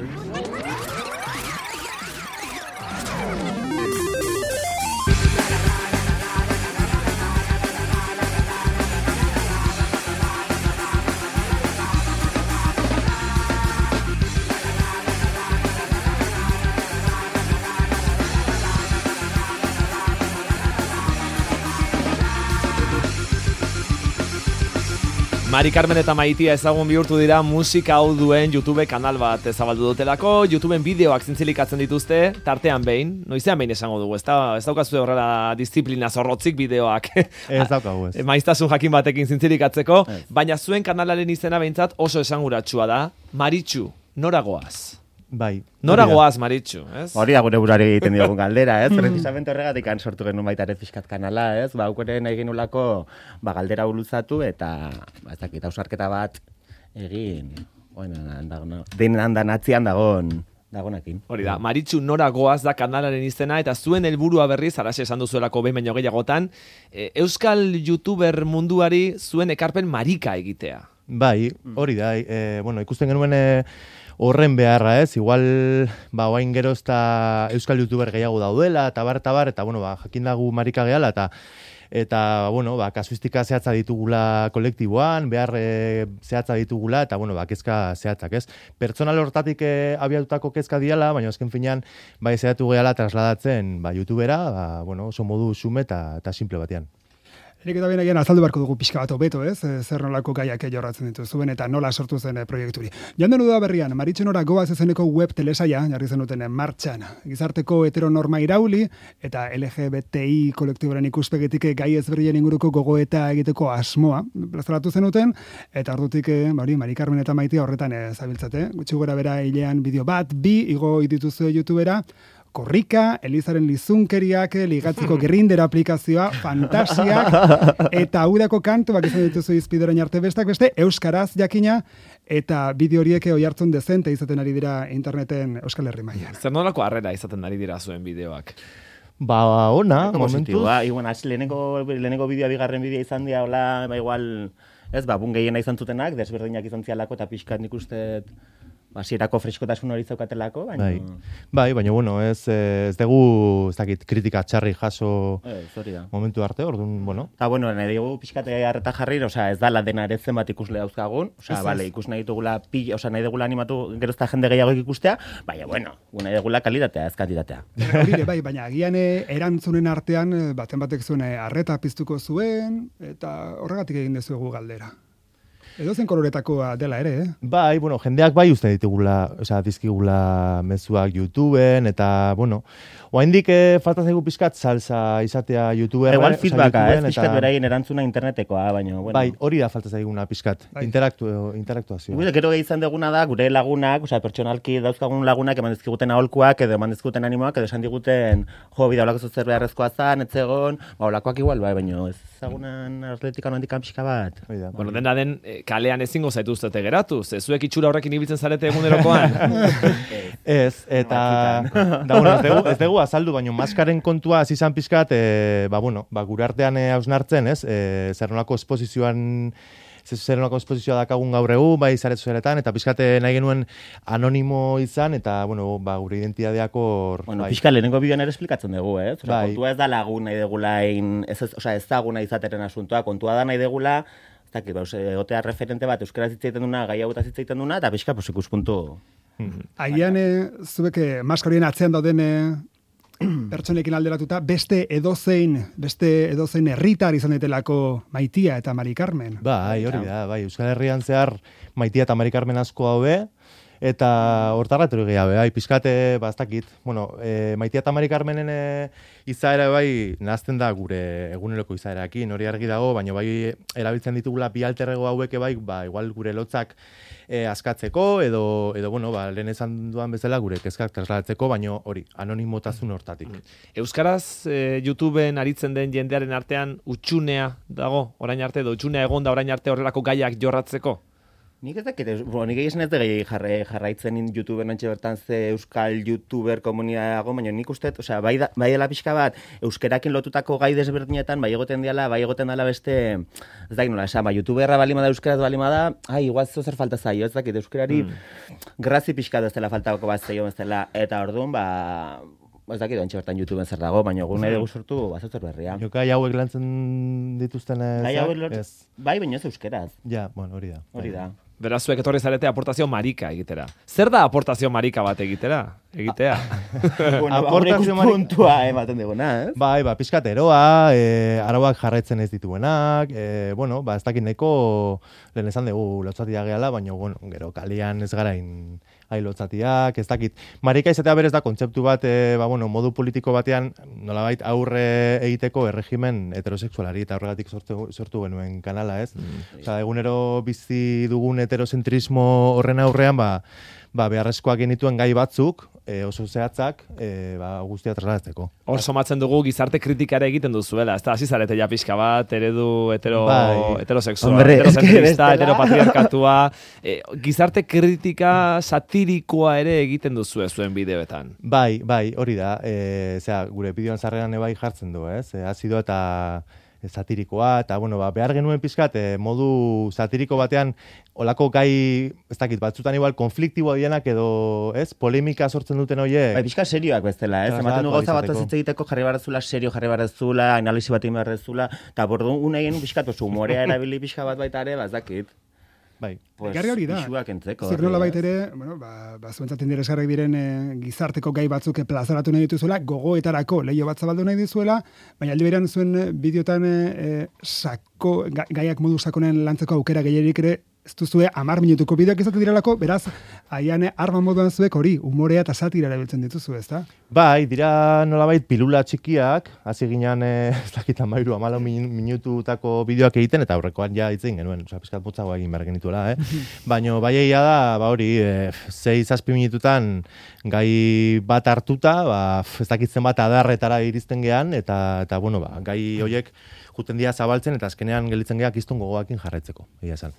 mal. Mari Carmen eta Maitia ezagun bihurtu dira musika hau duen YouTube kanal bat ezabaldu dutelako, YouTubeen bideoak zintzilikatzen dituzte, tartean behin, noizean behin esango dugu, ez daukazu horrela disiplina zorrotzik bideoak. Ez daukagu ez. Maiztasun jakin batekin zintzilikatzeko, baina zuen kanalaren izena behintzat oso esanguratsua da, Maritxu, nora goaz? Bai. Nora goaz, Maritxu, ez? Hori da gure burari egiten diogun galdera, ez? Precisamente horregatik sortu genuen baita ere pixkat kanala, ez? Aukere nahi genulako galdera buluzatu eta ez dakit, ausarketa bat egin, denan danatzian dagonakin. Hori da, Maritxu nora goaz da kanalaren izena, eta zuen helburua berriz, araxe esan duzuelako behin baino gehiagotan, Euskal YouTuber munduari zuen ekarpen marika egitea. Bai, hori da, ikusten genuen horren beharra, ez? Igual, oain gero ezta Euskal YouTuber gehiago daudela, eta jakin dagu marika gehala, eta kasuistika zehatza ditugula kolektiboan, behar zehatza ditugula, eta, kezka zehatzak, ez? Pertsonal hortatik abiatutako kezka diala, baina azken finean, zehatu gehala trasladatzen, YouTubera, oso modu xume eta simple batean. Erik eta behin azaldu beharko dugu pixka bat hobeto, ez? Zer nolako gaiak jorratzen dituzuen eta nola sortu zen proiekturi. Joan den berrian, Maritxu nora goaz ezeneko web telesaia, jarri zenuten martxan. Gizarteko heteronorma irauli eta LGBTI kolektiboren ikuspegitik gai ezberdinen inguruko gogoeta egiteko asmoa. Plazaratu zenuten, eta ordutik Mari Carmen eta Maitia horretan zabiltzate. Gutxi gora bera hilean bideo bat, 2 igo dituzue YouTubera, korrika, Elizaren lizunkeriak, ligatzeko Grindr aplikazioa, fantasiak, eta udako kantuak izan dituzu izpiderain arte beste, euskaraz jakina, eta bideo horiek oihartzun dezente izaten ari dira interneten Euskal Herri mailan. Zer nolako harrera izaten ari dira zuen bideoak? Ona, momentuz. Lehenengo bideoa, bigarren bideoa izan dira, hola, igual, ez, bun gehiena izan zutenak, desberdinak izan zialako, eta pixkat nik uste hasierako freskotasun hori zaukatelako, baina... Bai, baina, ez dugu, ez dakit, kritika txarri jaso momentu arte, orduan, Eta, nahi dugu pixkate harreta jarri, ez dala dena ere zenbat ikusle dauzkagun, ikus nahi dugula, nahi dugula animatu gerozta jende gehiago ikustea, baina, nahi dugula kalitatea, ez kantitatea. Bai, baina agian erantzunen artean, baten batek zuen harreta piztuko zuen, eta horregatik egin dezuegu galdera. Edo zen koloretakoa dela ere, Bai, jendeak uste ditugula, dizkigula mezuak YouTubeen, eta, oaindik falta zaigu pixkat salsa izatea YouTuber. Igual feedbacka, pixkat beraien erantzuna internetekoa, baina, Bai, hori da falta zaiguna pixkat, interaktuazioa. Gero izan duguna da, gure lagunak, pertsonalki dauzkagun lagunak, eman dizkiguten aholkuak, edo eman dizkiguten animoak, edo esan diguten, bida olako zuzer beharrezkoa zan, etzegon, olakoak igual, baina ez zagunan atletikan handikan pixka bat. Dena den, kalean ezingo zaituztete geratu, zuek itxura horrekin ibiltzen zarete egunerokoan. Ez, eta ez dugu azaldu, baina maskaren kontua izan pixkat, gure artean hausnartzen, zer nolako esposizioa dakagun gaur egun, bai zaretu zeretan, eta pixkate nahi genuen anonimo izan, eta gure identitateak hor... Pixka lehenengo bideoan ere esplikatzen dugu, kontua ez da lagun nahi degula, ezaguna izateren asuntoa, kontua da nahi degula, egotea referente bat euskaraz hitz egiten duna, gai hauetaz hitz egiten duna, eta pixka ikuspuntu. Agian, zuek maskarien atzean dauden pertsonekin alderatuta, beste edozein herritar izan daitelako Maitia eta Mari Carmen. Bai, hori da, Euskal Herrian zehar Maitia eta Mari Carmen asko daude, eta hortarratero gehiago, pizkate, bastakit. Maitia eta Mari Carmenen izaera nahazten da gure eguneroko izaerakin, hori argi dago, baina erabiltzen ditugula bi alterrego hauek igual gure lotzak askatzeko, edo lehen esan duan bezala gure kezkak trasladatzeko, baina hori, anonimotasun hortatik. Euskaraz YouTubeen aritzen den jendearen artean utxunea dago, orain arte, edo utxunea egon da orain arte horrelako gaiak jorratzeko? Nik ez dakit, nik egizan ez da jarraitzen YouTuberen antxe bertan ze euskal YouTuber komunitago, baina nik uste, bai dela pixka bat, euskerakin lotutako gai desberdinetan, bai egoten dela beste, ez dakit nola, esan, YouTuberra balima da, euskeraz balima da, igual zer falta zaio, ez dakit, euskerari grazi pixka da ez dela faltako bat zaio ez dela, eta orduan, ez dakit ontsi bertan YouTubeen zer dago, baina egun nahi dugu sortu bazotor berria. Gai hauek lantzen dituzten bai, baina ez euskeraz. Ja, bueno, hori da. Beraz, zuek etorri zarete aportazio marika egitera. Zer da aportazio marika bat egitea? Aportazio puntua ematen duguna, ez? Bai, pizkateroa, arauak jarraitzen ez dituenak, ez dakit nahiko lehen esan dugu lotzatia gehala, baina, gero kalian ez garain lotzatiak, ez dakit. Marika izatea berez da kontzeptu bat, modu politiko batean, nolabait aurre egiteko erregimen heterosexualari, eta horregatik sortu genuen kanala, ez? Egunero bizi dugun heterocentrismo horren aurrean, beharrezkoak genituen gai batzuk, oso zehatzak, guztia trasladatzeko. Hor somatzen dugu gizarte kritikare egiten duzuela, ez da, hasi zarete ja pixka bat, eredu heterosexual, heterocentrista, heteropatriarkatua, gizarte kritika satirikoa ere egiten duzue zuen bideoetan. Bai, hori da, gure bideoan zarrean ebai jartzen du, ez? Azido eta satirikoa, eta, behar genuen pizkat, modu satiriko batean, olako gai, ez dakit, batzutan igual, konfliktiboa dienak edo, ez, polemika sortzen duten hoie. Pizka serioak bezala, ez? Ematen du gauza bat ez egiteko jarri barrezula, jarri barrezula, analisi bat egin barrezula, eta bordu unai pizkat, humorea erabili pizka bat baita ere, ez dakit. Bai. Garri hori da. Zer nola baita ere, zuentzaten diresgarrak diren gizarteko gai batzuk plazaratu nahi dituzuela, gogoetarako leio bat zabaldu nahi dizuela, baina aldi berean zuen bideotan gaiak modu sakonen lantzeko aukera gehierik ere, ez duzue 10 minutuko bideoak izaten direlako, beraz, haian arma moduan zuek hori, humorea eta satira erabiltzen dituzu, ez da? Bai, dira nolabait pilula txikiak, hasi ginean, ez dakit 14 minututako bideoak egiten, eta aurrekoan ja itzen genuen, pizkat motzagoa egin behar genituela, Baina bai egia da, hori, 6-7 minututan gai bat hartuta, ez dakitzen bat adarretara iristen gean, eta gai horiek juten dira zabaltzen, eta azkenean gelitzen geak iztun gogoakin jarraitzeko, egia esan.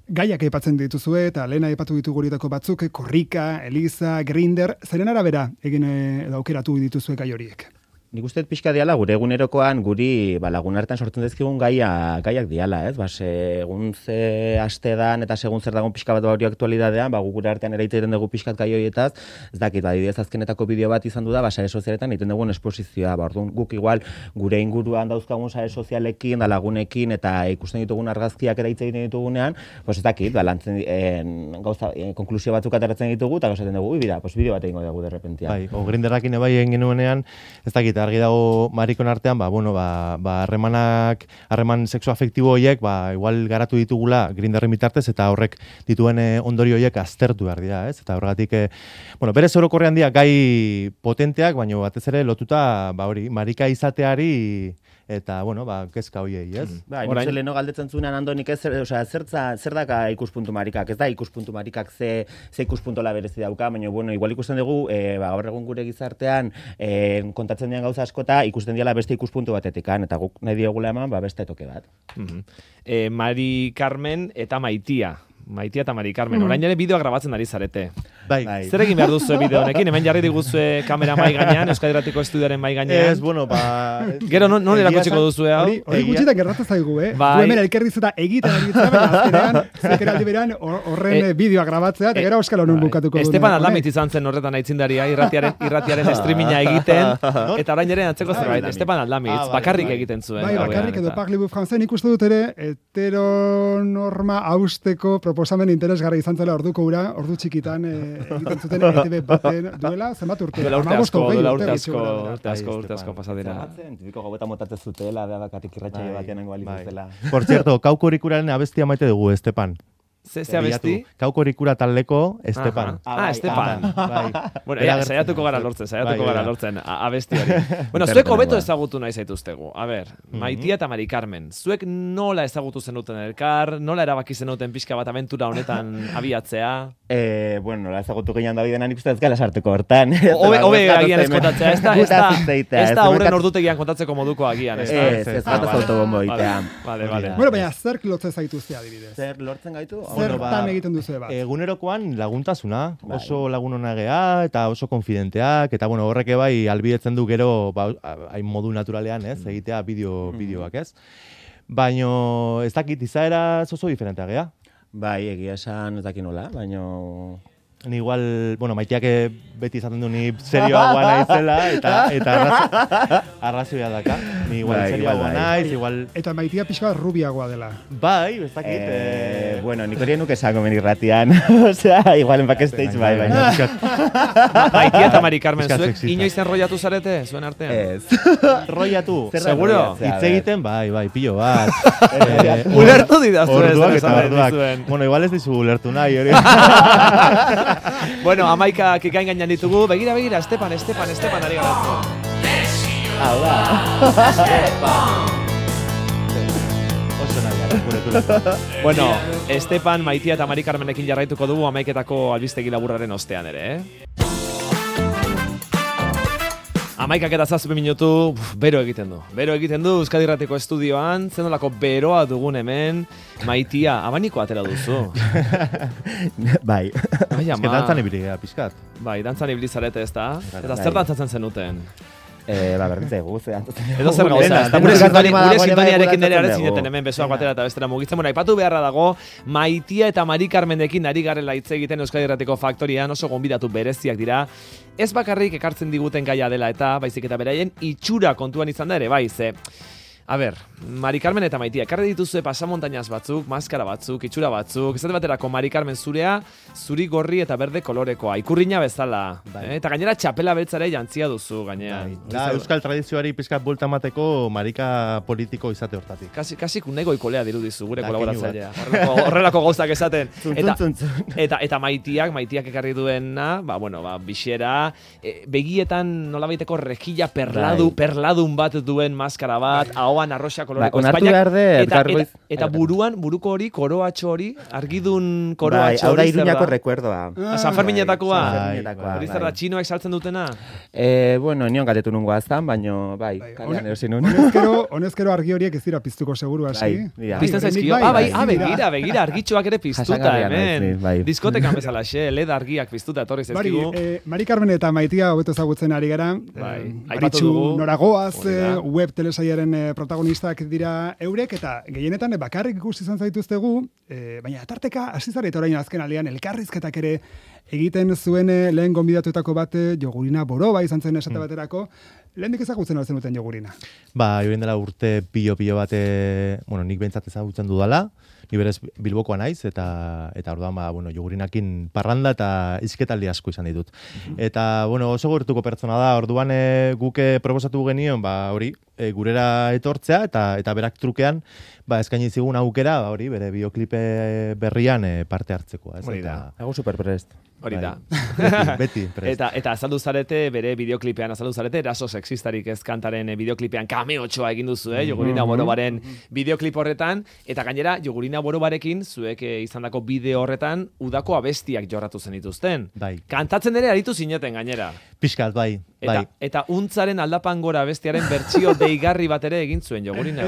Gaiak aipatzen dituzue, eta lehen aipatu ditugu horietako batzuk, Korrika, Eliza, Grindr, zeren arabera egin edo aukeratu dituzue gai horiek? Nik uste pixka diala, gure egunerokoan guri lagun hartan sortzen dezkigun gaiak diala, ez? Segun ze astedan eta segun zer dagoen pixka bat hori aktualidadean, gure artean ere egiten dugu pixkat gai horietaz, ez dakit, adibidez azkenetako bideo bat izan du da, sare sozialetan egiten dugun esposizioa, orduan guk igual gure inguruan dauzkagun sare sozialekin, da lagunekin, eta ikusten ditugun argazkiak ere egiten ditugunean, ez dakit, lantzen konklusio batzuk ateratzen ditugu, eta gauzaten dugu, bideo bat egingo dugu derrepentia. Bai, Grinderrakin ebai egin genuenean, ez dakit, argi dago marikon artean, harreman sexu afektibo horiek, igual garatu ditugula Grinderren bitartez, eta horrek dituen ondorio horiek aztertu behar dira, ez? Eta horregatik, berez orokorrean dira gai potenteak, baina batez ere lotuta, marika izateari, eta, kezka hoiei, ez? Nik leheno galdetzen zuenan Andonik ez, zer daka ikuspuntu marikak? Ez da ikuspuntu marikak ze ikuspuntola berezi dauka, baina, igual ikusten dugu, gaur egun gure gizartean, kontatzen dian gauza askota, ikusten diala beste ikuspuntu batetikan, eta guk nahi diogula eman, beste toke bat. Mari Carmen eta Maitia eta Mari Carmen, orain ere bideoa grabatzen ari zarete. Bai. Zer egin behar duzu bideo honekin? Hemen jarri diguzue kamera mai gainean, Euskadi Irratiko estudioaren mai gainean. Gero, non erakutsiko duzu hau? Hori gutxitan gertatzen zaigu, Du hemen elkerriz eta egiten ari zara, azkenean, zeker aldi beran, horren bideoa grabatzea, eta gero Euskal Honon bukatuko duen. Estepan Aldamitz izan zen horretan aitzindaria, irratiaren streaminga egiten, eta orain ere antzeko zerbait. Estepan Aldamitz, bakarrik egiten zuen. Bai, bakarrik edo Parlibu Franzen ikustu dut ere, heteronorma hausteko proposamen interesgarri izan zela ordu txikitan egiten zuten ETV baten duela, zenbat urte? Duela urte asko pasadera. Tipiko gobeta motatzen zutela, bakatik irratxaile batean ango balizazela. Por cierto, Kauko Rikuraren abestia maite dugu, Estepan. Ze abesti? Kaukorikura taldeko Estepan. Estepan. Bai. Bueno, saiatuko gara lortzen, abesti hori. Bueno, zuek hobeto ezagutu nahi zaituztegu. A ber, Maitia eta Mari Carmen, zuek nola ezagutu zenuten elkar, nola erabaki zenuten pixka bat abentura honetan abiatzea? Bueno, nola ezagutu gehiago Davidena nik uste ez gala sartuko hortan. Hobe agian ez kontatzea, ez da aurren ordutegian kontatzeko moduko agian. Ez bat autobombo itea. Vale. Bueno, baina zerk lotzen zaituzte adibidez? Zer lortzen gaitu? Zertan egiten duzu bat? Egunerokoan laguntasuna, oso lagun ona gea eta oso konfidenteak, eta bueno, horrek bai albietzen du gero hain modu naturalean, ez, egitea bideoak, ez? Baino ez dakit izaera oso diferentea gea. Bai, egia esan ez dakit nola, baino... Ni igual, bueno, Maiteak beti izaten du ni serioagoa naizela, eta arrazoia daka. Ni igual serioagoa naiz, igual... Eta Maitia pixka rubiagoa dela. Bai, ez dakit... Bueno, nik hori nuke esango menirratian. Osea, igual en backstage bai, baina. Maitia eta Mari Carmen, zuek inoiz enrollatu zarete, zuen artean? Ez. Rollatu? Seguro? Hitz egiten, bai, pillo bat. Ulertu didazu ez. Orduak eta orduak. Bueno, igual ez dizu ulertu nahi, hori. Bueno, amaika kikain gainan ditugu. Begira, Estepan ari gara. Hau da. Oso nahi, Bueno, Estepan, Maitia eta Mari Carmenekin jarraituko dugu amaiketako albistegi laburraren ostean ere, Amaikak eta 7 minutu, bero egiten du. Euskadi Irratiko estudioan, zenolako beroa dugun hemen, Maitia, abaniko atera duzu. Bai. Eske dantzan ibili gara, pixkat. Bai, dantzan ibili zarete ez da? Eta zer dantzatzen zenuten? Berdintza egu, edo zer gauza, ez da gure sintoniarekin nire aren zineten hemen besoak batera eta bestera mugitzen. Bueno, aipatu beharra dago, Maitia eta Mari Carmenekin ari garela hitz egiten Euskadi Irratiko faktorian, oso gonbidatu bereziak dira. Ez bakarrik ekartzen diguten gaia dela eta baizik eta beraien itxura kontuan izan da ere, bai, ze... A ber, Mari Carmen eta Maitia, ekarri dituzue pasamontainaz batzuk, maskara batzuk, itxura batzuk, esate baterako Mari Carmen zurea, zuri gorri eta berde kolorekoa, ikurriña bezala. Eta gainera txapela beltzare jantzia duzu gainean. Da, euskal tradizioari pizkat bulta mateko marika politiko izate hortatik. Kasi kunego ikolea dirudizu gure kolaboratzailea. Horrelako gauzak esaten. Eta Maitiak ekarri duena, bixera, begietan nolabaiteko rejilla perladun bat duen maskara bat, arroxa koloreko Espainak, eta buruko hori, koroatxo hori, argidun koroatxo hori. Hau da Iruñako recuerdoa. San Ferminetakoa. Hori zer da, txinoek saltzen dutena? Bueno, nion gatetu nungo aztan, baino, bai, kalean erosin nun. Honezkero argi horiek ez dira piztuko seguru hasi. Pizten zaizkio? Begira, argitxoak ere piztuta hemen. Diskotekan bezala xe, LED argiak piztuta etorri zaizkigu. Mari Carmen eta Maitia hobeto ezagutzen ari gara. Aritxu Noragoaz, web telesaiaren protagonistak dira eurek, eta gehienetan bakarrik ikusi izan zaituztegu, baina tarteka hasi zarete orain azken aldean elkarrizketak ere egiten zuen lehen gonbidatuetako bat Jogurina Boroba izan zen esate baterako. Lehendik ezagutzen altzen duten Jogurina? Joren dela urte pilo bat, nik behintzat ezagutzen dudala, ni berez Bilbokoa naiz, eta orduan, Jogurinakin parranda eta izketaldi asko izan ditut. Eta, oso gertuko pertsona da, orduan guke proposatu genion, hori, gurera etortzea, eta berak trukean, eskaini zigun aukera, hori, bere bideoklipe berrian parte hartzeko. Hori da, hago superprest. Hori da. Beti prest. Eta azaldu zarete, bere bideoklipean azaldu zarete, eraso sexistarik ez kantaren bideoklipean kameotxoa egin duzu, Jogurina Borobaren bideoklip horretan, eta gainera, Jogurina Borobarekin, zuek izandako bideo horretan, udako abestiak jorratu zen dituzten. Bai. Kantatzen ere aritu zineten gainera. Pixkat, bai. Eta untzaren aldapan gora bestiaren bertsio deigarri bat ere egin zuen Jogurina.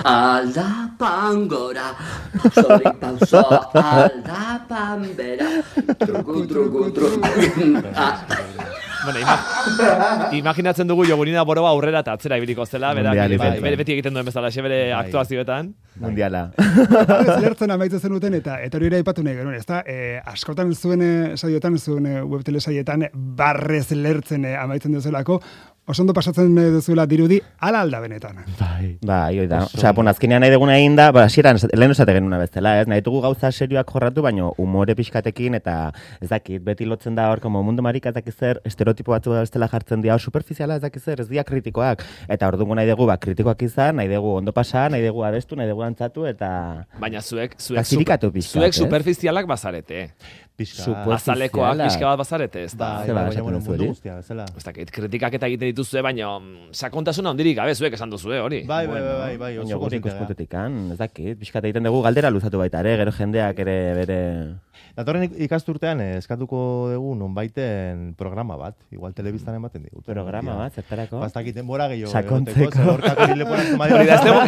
Aldapan gora, pausorik pauso, aldapan bera, truku. Imaginatzen dugu Jogurina Boroba aurrera eta atzera ibiliko zela, beti egiten duen bezala, bere aktuazioetan. Mundiala. Lertzen amaitzen zenuten eta hori ere aipatu nahi genuen, ezta? Askotan zuen saioetan, zuen web telesaietan barrez lertzen amaitzen duzelako, oso ondo pasatzen duzuela dirudi, ala alda benetan. Bai, da. Osea, azkenean nahi deguna egin da, hasieran lehen esate genuna bezala, ez? Nahi dugu gauza serioak jorratu, baino umore pixkatekin eta ez dakit, beti lotzen da hor, como mundu marika ez dakit zer, estereotipo batzu bestela jartzen dira, superficiala ez dakit zer, ez dira kritikoak. Eta orduan nahi dugu, kritikoak izan, nahi dugu ondo pasa, nahi dugu abestu, nahi dugu antzatu, eta... Zuek superficialak bazarete. Azalekoak pixka bat bazarete, ez da? Baina, mundu guztia, bezala. Ez dakit, kritikak eta egiten dituzue, baina sakontasuna ondirik gabe zuek esan duzue, hori. Bai, baina gure ikuspuntutik, ez dakit, pixka egiten dugu galdera luzatu baita, gero jendeak ere bere... Datorren ikasturtean eskatuko dugu nonbaiten programa bat, igual telebistan ematen digu. Programa bat, zertarako? Bastakit denbora gehiago. Sakontzeko.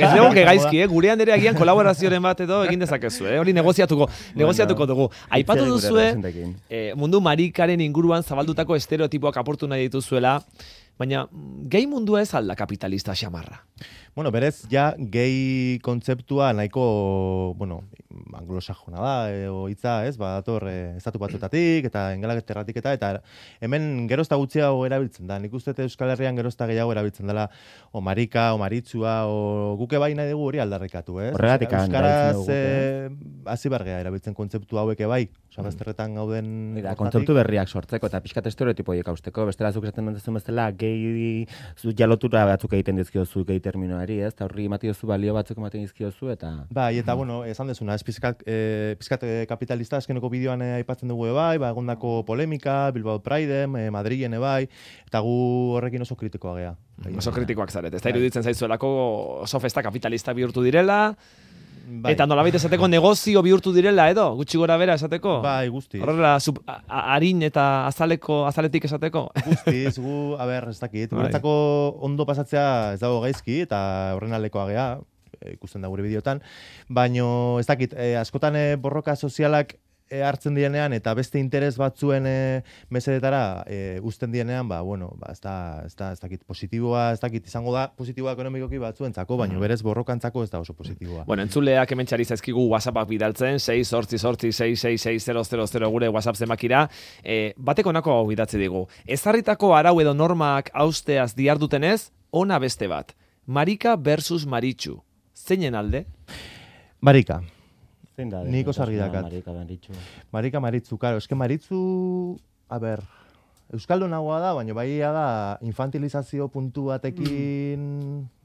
Ez dugu gaizki, gurean ere agian kolaborazioaren bat edo egin dezakezu, hori negoziatuko dugu. Aipatu duzue, mundu marikaren inguruan zabaldutako estereotipoak aportu nahi dituzuela, baina gehi mundua ez alda kapitalista xamarra. Bueno, berez, ja, gehi kontzeptua nahiko, anglosajona da, hitza, ez, dator estatu batutatik, eta engalaterratik eta hemen gerozta gutxiago erabiltzen da. Nik uste Euskal Herrian gerozta gehiago erabiltzen dela, o marika, o maritzua, o guke bai nahi dugu hori aldarrikatu, ez? Horregatik Euskaraz hasi bargea erabiltzen kontzeptu hauek bai, bazterretan gauden... Kontzeptu berriak sortzeko, eta pixkat estereotipoiek hausteko, bestela zuk esaten dut bezala, gehi jalotura batzuk egiten dizkiozu, gehi terminoari, ez? Eta horri ematiozu balio batzuk ematen dizkiozu, eta... Bai, eta esan dezuna, ez pizkat kapitalista azkeneko bideoan aipatzen dugu bai, egondako polemika, Bilbao Pride, Madrilen bai, eta gu horrekin oso kritikoa gea. Oso kritikoak zaret, ez da iruditzen zaizuelako oso festa kapitalista bihurtu direla, eta nolabait esateko negozio bihurtu direla edo, gutxi gora bera esateko? Bai, guzti. Horrela, harin eta azaletik esateko? Guztiz, ez dakit. Guretzako ondo pasatzea ez dago gaizki, eta horren aldekoa gea, ikusten da gure bideotan, baino ez dakit, askotan borroka sozialak hartzen dienean eta beste interes batzuen mesedetara uzten dienean, ez dakit positiboa, ez dakit izango da positiboa ekonomikoki batzuentzako, baina berez borrokantzako ez da oso positiboa. Entzuleak hemen txari zaizkigu WhatsAppak bidaltzen, 688-666-000 gure WhatsApp zenbakira, batek honako hau bidatzi digu. Ezarritako arau edo normak hausteaz diardutenez, ona beste bat. Marika versus Maritxu. Zeinen alde? Marika. Nik osargi dakat. Marika Maritzu, karo. Eske Maritzu, euskaldunagoa da, baina baia da infantilizazio puntu batekin...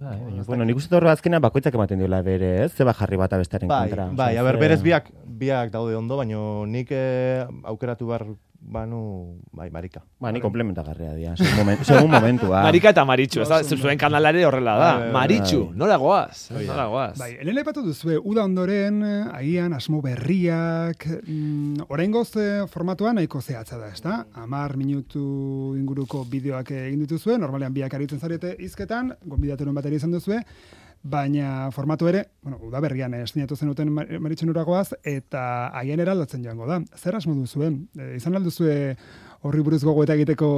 Nik uste horre azkenean bakoitzak ematen diola bere, ez? Zeba jarri bat abestaren kontra. Bai, berez biak daude ondo, baina nik aukeratu behar Marika. Ni komplementagarria dira, segun momentua. Marika eta Maritxu, ez da, zuen kanalare horrela da. Maritxu, nola goaz? Bai, helen aipatu duzue, uda ondoren, agian, asmo berriak, oraingoz formatuan nahiko zehatza da, ez da? 10 minutu inguruko bideoak egin dituzue, normalean biak aritzen zarete hizketan, gonbidaturen bateri izan duzue, baina formatu ere, udaberrian estinatu zenuten Maritxu Nuragoaz, eta haien eraldatzen joango da. Zer asmo duzuen? Izan alduzue horri buruz gogoeta egiteko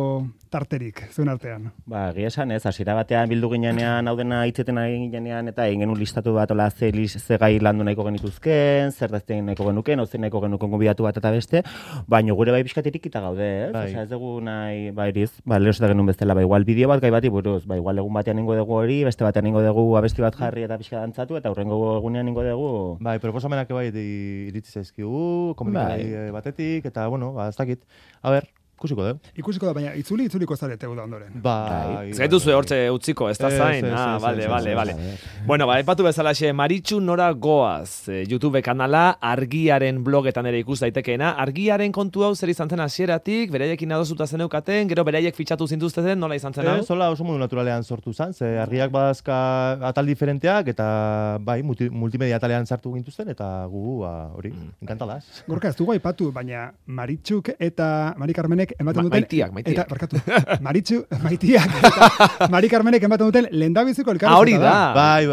tarterik, zuen artean? Egia esan ez, hasiera batean bildu ginean, hau dena hitzeten egin ginean, eta egin genuen listatu bat, ze gai landu nahiko genituzken, zer dazten nahiko genuken, hau nahiko genuken gonbidatu bat eta beste, baina gure bai pixkatirik eta gaude, ez? Osea, ez dugu nahi, iriz, lehoseta genuen bezala, igual bideo bat gai bati buruz, igual egun batean ingo dugu hori, beste batean ingo dugu abesti bat jarri eta pixka dantzatu, eta hurrengo egunean ingo dugu... Proposamenak iritsi zaizkigu, komunikari batetik, eta, ez dakit, ikusiko da. Ikusiko da, baina itzuliko zarete da ondoren. Zaitu zue hortze utziko, ez da zain? Vale. Bueno, epatu bezalaxe, Maritxu Nora Goaz, YouTube kanala, Argiaren blogetan ere ikus daitekeena. Argiaren kontu hau zer izan zen hasieratik, beraiekin adosuta zeneukaten, gero beraiek fitxatu zintuzten, nola izan zen hau? Zola oso modu naturalean sortu zen, ze Argiak badazka atal diferenteak, eta multimedia atalean sartu gintuzten, eta gu, hori, enkantalaz. Gorka, ez dugu aipatu, baina Maritxuk eta Mari Carmenek ematen duten... Maitiak. Eta, barkatu, Maitiak eta Mari Carmenek ematen duten lehendabiziko elkarrizketa. Hori da. Bai.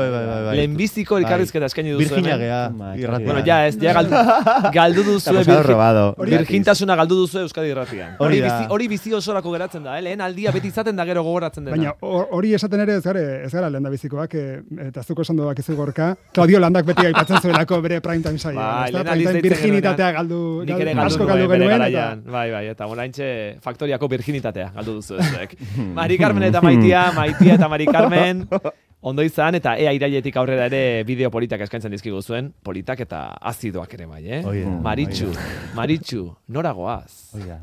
Lehenbiziko elkarrizketa eskaini duzu. Virginia gea. Bueno, galdu duzu. Virgintasuna galdu duzu Euskadi Irratian. Hori bizi osorako geratzen da, lehen aldia beti izaten da gero gogoratzen dena. Baina hori esaten ere ez gara lehendabizikoak, eta zuko esan doak izu Gorka, Claudio Landak beti aipatzen zuelako bere primetime saia. Virginitatea asko galdu genuen. Bai, eta oraintxe Oraintxe faktoriako virginitatea galdu duzu zuek. Mari Carmen eta Maitia eta Mari Carmen, ondo izan, eta ea irailetik aurrera ere bideo politak eskaintzen dizkigu zuen, politak eta azidoak ere bai, Oie, Maritxu, nora goaz? Oia.